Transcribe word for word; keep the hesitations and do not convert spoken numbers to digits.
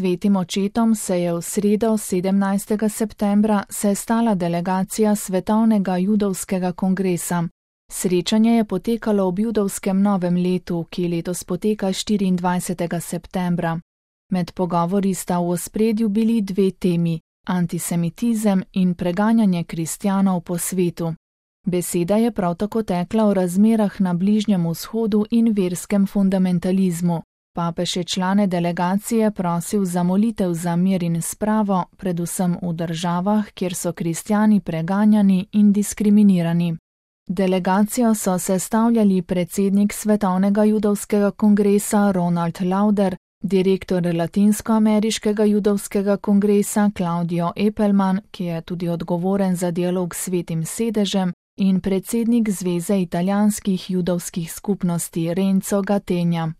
Svetim očetom se je v sredo sedemnajstega septembra sestala delegacija Svetovnega judovskega kongresa. Srečanje je potekalo ob judovskem novem letu, ki letos poteka štiriindvajsetega septembra. Med pogovori sta v ospredju bili dve temi: antisemitizem in preganjanje kristjanov po svetu. Beseda je prav tako tekla o razmerah na Bližnjem vzhodu in verskem fundamentalizmu. Papež je člane delegacije prosil za molitev za mir in spravo, predvsem v državah, kjer so kristjani preganjani in diskriminirani. Delegacijo so sestavljali predsednik Svetovnega judovskega kongresa Ronald Lauder, direktor Latinskoameriškega judovskega kongresa Claudio Epelman, ki je tudi odgovoren za dialog s Svetim sedežem, in predsednik Zveze italijanskih judovskih skupnosti Renzo Gattegna.